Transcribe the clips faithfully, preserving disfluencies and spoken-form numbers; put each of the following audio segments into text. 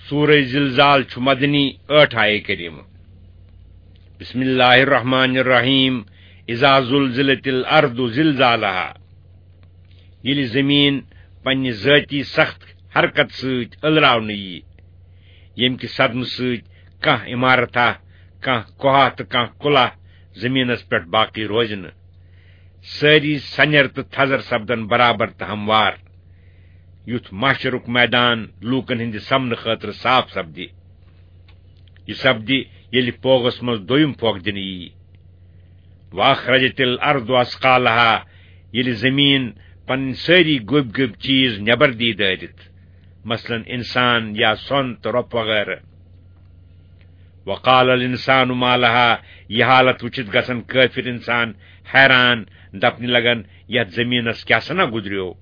سورہ زلزال چھُ مدنی، ٲٹھ آیے کریمہٕ۔ بسم اللہ الرحمن الرحیم۔ اذا زلزلت الارض زلزالها۔ ییٚلہِ زٔمیٖن پننہِ ذٲتی سخت حرکت سۭتۍ ألراونہٕ یی، ییٚمہِ کہِ صدمہٕ سۭتۍ کانٛہہ عمارتھا، کانٛہہ کوہا تہٕ کانٛہہ کُلہ زٔمیٖنس پٮ۪ٹھ باقی روزِ نہٕ۔ سٲری سنیر تہٕ تھزر سپدن برابر تہٕ ہموار۔ یُتھ محشرُک میدان لوٗکن ہٕنٛدِ سامنہٕ خٲطرٕ صاف سپدِ۔ یہِ سپدِ، ییٚلہِ پوغس منٛز دوٚیُم پھۄکھ دِنہٕ ییہِ۔ واخرجت الارض اثقالها، ییٚلہِ زٔمیٖن پنٕنۍ سٲری گوٚبۍ گوٚبۍ چیٖز نٮ۪بر دی دٲرِتھ، مثلاً اِنسان یا سۄن تہٕ رۄپہٕ وغٲرٕ۔ وقال الانسان ما لها، یہِ حالت وٕچھِتھ گژھن کٲفِر اِنسان حیران، دپنہِ لگن، یتھ زٔمیٖنس کیٛاہ سنا گُزریو؟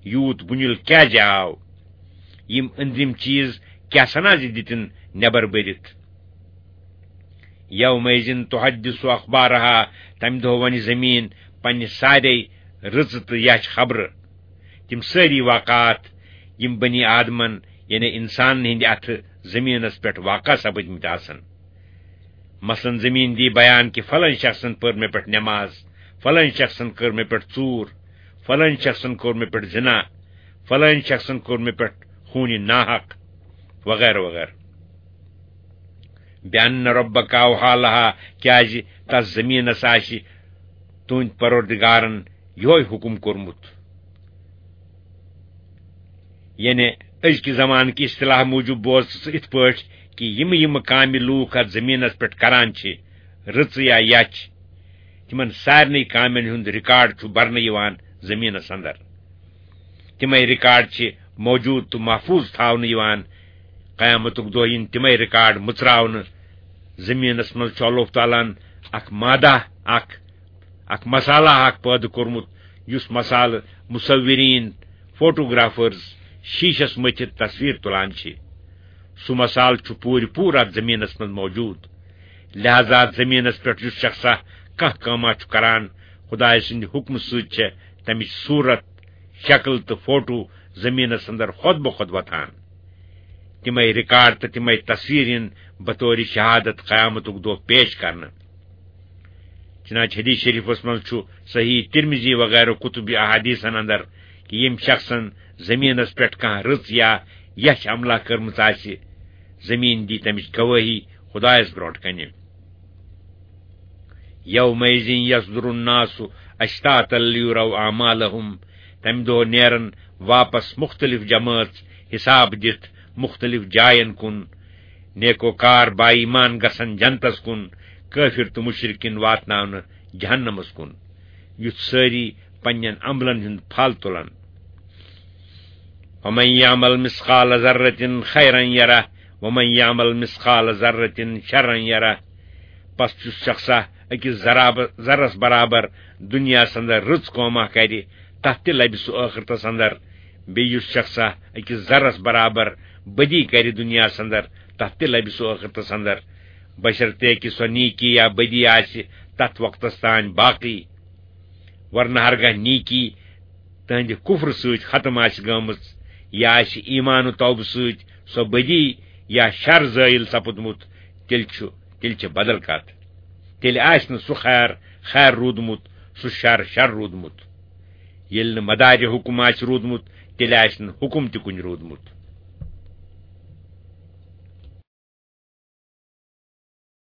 یوٗت بُنیُل کیٛازِ آو؟ یِم أنٛدرِم چیٖز کیٛاہ سنا زِ دِتِن نٮ۪بر بٔرِتھ؟ یومئذ تحدث اخبارها، تمہِ دۄہ ونہِ زٔمیٖن پننہِ سارے رٕژٕ تہٕ یچھ خبرٕ۔ تِم سٲری واقعات، یِم بنی آدمن، یعنی انسانن ہٕنٛدِ اتھٕ زٔمیٖنس پٮ۪ٹھ واقع سپٕدمٕتۍ آسن۔ مثلاً زٔمیٖن دی بیان کہِ فلٲنۍ شخصن پٔر مےٚ پٮ۪ٹھ نٮ۪ماز، فلٲنۍ شخصن کٔر مےٚ پٮ۪ٹھ ژوٗر، فلٲنۍ شخصن کوٚر مےٚ پٮ۪ٹھ زِنا، فلٲنۍ شخصن کوٚر مےٚ پٮ۪ٹھ خوٗنہِ ناحق، وغیرہ وغیرہ۔ بأن ربک اوحی لها، کیازِ تس زٔمیٖنس آسہِ تُہنٛدِ پروردگارن یِہوے حُکم کوٚرمُت۔ یعنی أزکہِ زمانہٕ کہِ اصطلاح موٗجوٗب بوز ژٕ یِتھ پٲٹھۍ کہِ یِم یِم کامہِ لوٗکھ اتھ زٔمیٖنس پٮ۪ٹھ کران چھِ، رٕژٕ یا یچھ، تِمن سارنٕے کامٮ۪ن ہُنٛد ریکارڈ چھُ برنہٕ یِوان زٔمیٖنس اندر۔ تِمے ریکارڈ چھِ موجود تہٕ محفوظ تھاونہٕ یِوان۔ قیامتُک دۄہ یِن تِمے ریکارڈ مُژراونہٕ۔ زٔمیٖنس منٛز چھُ اللہ تعالیٰ ہن اکھ مادہ، اکھ، اکھ مسالہ اکھ پٲدٕ کوٚرمُت، یُس مسالہٕ مصورین، فوٹوگرافرز شیشس مٔتھِتھ تصویر تُلان چھِ۔ سُہ مسالہٕ چھُ پوٗرٕ پوٗرٕ اتھ زٔمیٖنس منٛز موجود۔ لہذا اتھ زٔمیٖنس پٮ۪ٹھ یُس شخصا کانٛہہ کٲما چھُ کران، خدایہِ سٕنٛدِ حُکمہٕ سۭتۍ چھےٚ تمِچ صوٗرت، شکل تہٕ فوٹو زٔمیٖنس اندر خۄد بخۄد وۄتھان۔ تِمے ریکارڈ تہٕ تِمے تصویر یِن بطور شہادت قیامتُک دۄہ پیش کرنہٕ۔ چنانچہ حدیث شریفس منٛز چھُ صحیح ترمذی وغیرہ کتب احادیثن اندر کہِ ییٚمۍ شخصن زٔمیٖنس پٮ۪ٹھ کانٛہہ رٕژ یا یچھ عملہ کٔرمٕژ آسہِ، زٔمیٖن دی تمِچ گوٲہی خدایس برونٛٹھ کنہِ۔ یومئذ یصدر الناس اشتاتا لیروا اعمالهم، تمہِ دۄہ نیرن واپس مختلف جمٲژ حساب دِتھ مختلف جاین کُن۔ نیکوکار با ایمان گژھن جنتس کُن، کٲفر تہٕ مشرکین واتناونہٕ جہنمس کُن، یُتھ سٲری پننٮ۪ن عملن ہُنٛد پھل تُلن۔ ومن یعمل مثقال ذرة خیرا یرہ، ومن یعمل مثقال ذرة شرا یرہ۔ پس یُس شخصا أکِس ذراب-، ذرس برابر دُنیاہس اندر رٕژ کٲما کرِ، تتھ تہِ لبہِ سُہ ٲخرتس اندر۔ بیٚیہِ یُس شخصا أکِس ذرس برابر بدی کرِ دُنیاہس اندر، تتھ تہِ لبہِ سُہ ٲخرتس اندر، بشرطے کہِ سۄ نیکی یا بدی آسہِ تتھ وقتس تام باقی۔ ورنہ ہرگاہ نیکی تہنٛدِ کفرٕ سۭتۍ ختم آسہِ گٔمٕژ، یا آسہِ ایمان و توبہٕ سۭتۍ سۄ بدی یا شر زٲیِل سپُدمُت، تیٚلہِ چھُ، تیٚلہِ چھِ بدل کتھ۔ تیٚلہِ آسہِ نہٕ سُہ خیر خیر روٗدمُت، سُہ شر شر روٗدمُت۔ ییٚلہِ نہٕ مدارِ حکم آسہِ روٗدمُت، تیٚلہِ آسہِ نہٕ حکم تہِ کُنہِ روٗدمُت۔